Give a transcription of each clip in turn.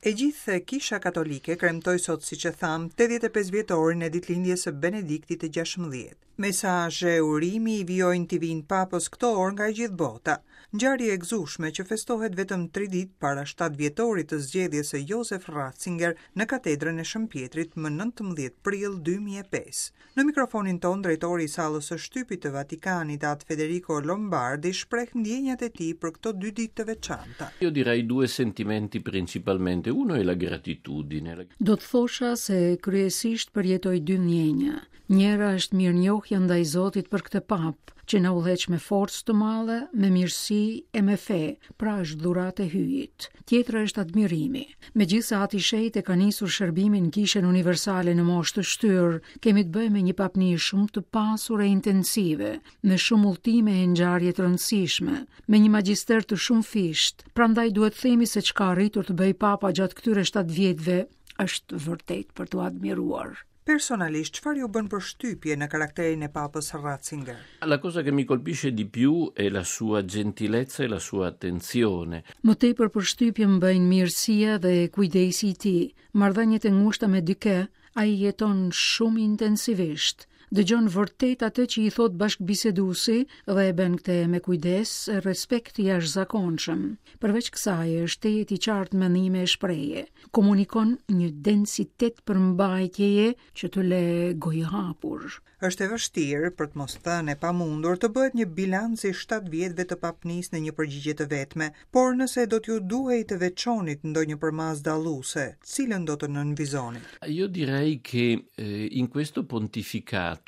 E gjithë Kisha Katolike kremtoi sot, siç e thamë, 85 vjetorin e ditëlindjes së Benediktit të 16. Mesazhe urimi i vijojnë t'i vijnë Papës këto orë nga e gjithë bota. Ngjarje e gëzueshme që festohet vetëm tri ditë para 7 vjetorit të zgjedhjes së Josef Ratzinger në katedrën e Shën Pjetrit më 19 prill 2005. Në mikrofonin tonë drejtori i sallës së shtypit të Vatikanit, At Federico Lombardi, shpreh ndjenjat e tij për këto dy ditë të veçanta. Io direi due sentimenti principalmente. Uno è la gratitudine. Do të thosha se kryesisht përjetoj dy ndjenja. Njëra është mirënjohja ndaj Zotit për këtë papë, që na udhëheq me forcë të madhe, me mirësi e me fe, pra është dhuratë e Hyjit. Tjetra është admirimi. Megjithëse Ati i Shenjtë e ka nisur shërbimin në Kishën Universale në moshë të shtyrë, kemi të bëjmë me një papni shumë të pasur e intensive, me shumë udhëtime e ngjarje të rëndësishme, me një magjister të shumëfishtë. Prandaj duhet të themi se ç'ka arritur të bëjë Papa gjatë këtyre 7 vjetëve është vërtet për t'u admiruar. Personalisht, çfarë ju bën përshtypje në karakterin e Papës Ratzinger? La cosa che mi colpisce di più è la sua gentilezza e la sua attenzione. Më tepër përshtypje më bëjnë mirësia dhe kujdesi i tij. Marrëdhëniet e ngushta me dikë, ai i jeton shumë intensivisht. Dëgjon vërtet atë që i thotë bashkëbiseduesi dhe e bën këtë me kujdes e respekt të jashtëzakonshëm. Përveç kësaj, është tejet i qartë në mendime e shprehje. Komunikon një densitet përmbajtjeje që të le gojëhapur. Është e vështirë, për të mos thënë e pamundur, të bëhet një bilanc i 7 vjetëve të papnisë në një përgjigje të vetme, por nëse do t'ju duhej të veçonit ndonjë përmasë dalluese, cilën do të nënvizonit? Io direi che eh, in questo pontificato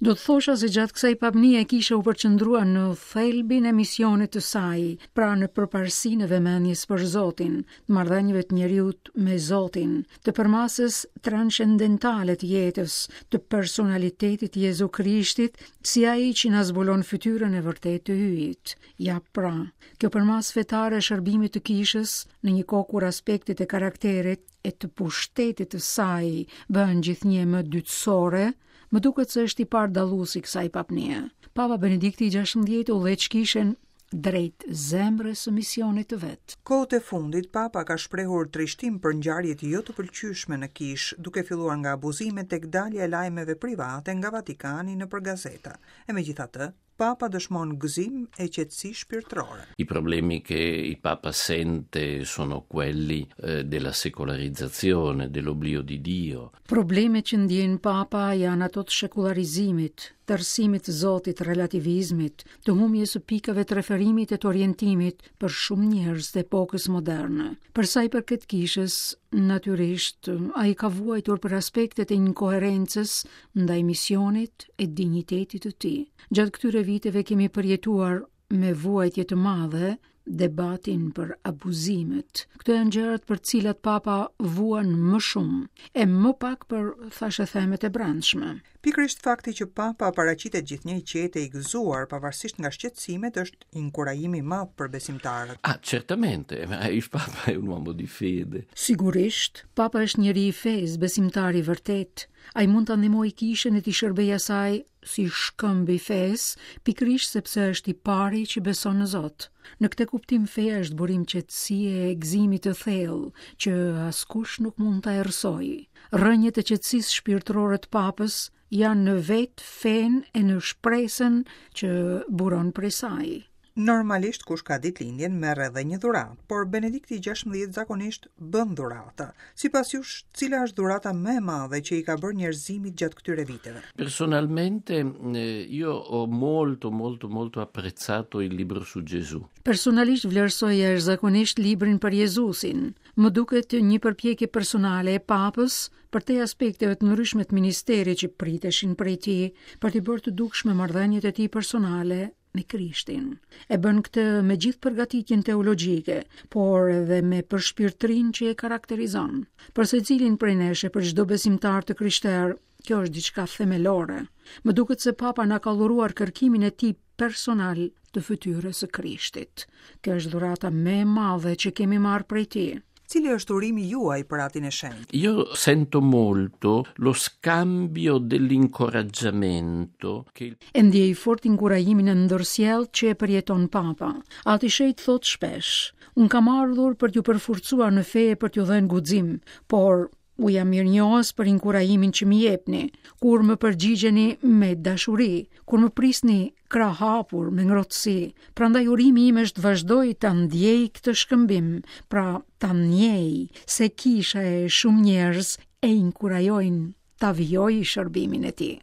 Do të thosha se gjatë kësaj papnie kisha u përqendrua në thelbin e misionit të saj, pra në përparësinë e vëmendjes për Zotin, të marrëdhënieve të njeriut me Zotin, të përmasës transcendentale të jetës, të personalitetit të Jezu Krishtit, si ai që na zbulon fytyrën e vërtetë të Hyjit. Ja pra, kjo përmasë fetare e shërbimit të kishës, në një kohë kur aspektet e karakterit e të pushtetit të saj bëhen gjithnjë më dytësore, më duket se është tipar dallues i kësaj papnie. Papa Benedikti i 16 udhëheq kishën drejt zemrës së misionit të vet. Kohët e fundit, Papa ka shprehur trishtim për ngjarjet jo të pëlqyeshme në kishë, duke filluar nga abuzimet tek dalja e lajmeve private nga Vatikani nëpër gazeta. E megjithatë, Papa dëshmon gëzim e qetësi shpirtërore. I problemi che il Papa sente sono quelli eh, della secolarizzazione, dell'oblio di Dio. Problemet që ndjen Papa janë ato të shekullarizimit, të errësimit të Zotit, relativizmit, të humbjes së pikave të referimit e të orientimit për shumë njerëz të epokës moderne. Për sa i përket kishës, natyrisht, ai ka vuajtur për aspektet e inkoherencës ndaj misionit e dinjitetit të tij. Gjatë këtyre viteve kemi përjetuar me vuajtje të madhe debatin për abuzimet. Këto janë gjërat për të cilat papa vuan më shumë, e më pak për thashethemet e brendshme. Pikërisht fakti që papa paraqitet gjithnjë i qetë e i gëzuar, pavarësisht nga shqetësimet, është inkurajim i madh për besimtarët. Ah, certamente, ma il papa è un uomo di fede. Sigurisht, papa është njeri i fesë, besimtar i vërtetë. Ai mund ta ndihmojë kishën e t'i shërbejë asaj si shkëmb i fesë, pikërisht sepse është i pari që beson në Zot. Në këtë kuptim feja është burim qetësie e gëzimi të thellë, që askush nuk mund ta errësojë. Rrënjët e qetësisë shpirtërore të Papës janë në vetë fenë e në shpresën që buron prej saj. Normalisht kush ka ditëlindjen merr edhe një dhuratë, por Benedikti i 16 zakonisht bën dhurata. Sipas jush, cila është dhurata më e madhe që i ka bërë njerëzimit gjatë këtyre viteve? Personalmente eh, io ho molto molto molto apprezzato il libro su Gesù. Personalisht vlerësoj jashtëzakonisht librin për Jezusin. Më duket një përpjekje personale e Papës përtej aspekteve të ndryshme të ministerit që priteshin prej tij, për t'i bërë të dukshme marrëdhëniet e tij personale me Krishtin. E bën këtë me gjithë përgatitjen teologjike, por edhe me përshpirtërinë që e karakterizon. Për secilin prej nesh e për çdo besimtar të krishterë, kjo është diçka themelore. Më duket se Papa na ka dhuruar kërkimin e tij personal të fytyrës së Krishtit. Kjo është dhurata më e madhe që kemi marrë prej tij. Cili është urimi juaj për Atin e Shenjtë? Io sento molto lo scambio dell'incoraggiamento che E ndjej fort inkurajimin e ndërsjelltë që e përjeton Papa. Ati i Shenjtë thotë shpesh, Unë kam ardhur për t'ju përforcuar në fe e për t'ju dhënë guxim, por u jam mirënjohës për inkurajimin që më jepni, kur më përgjigjeni me dashuri, kur më prisni krahëhapur me ngrohtësi. Prandaj urimi im është të vazhdoj ta ndjej këtë shkëmbim, pra ta ndjej se kisha e shumë njerëz e inkurajojnë ta vijojë shërbimin e tij.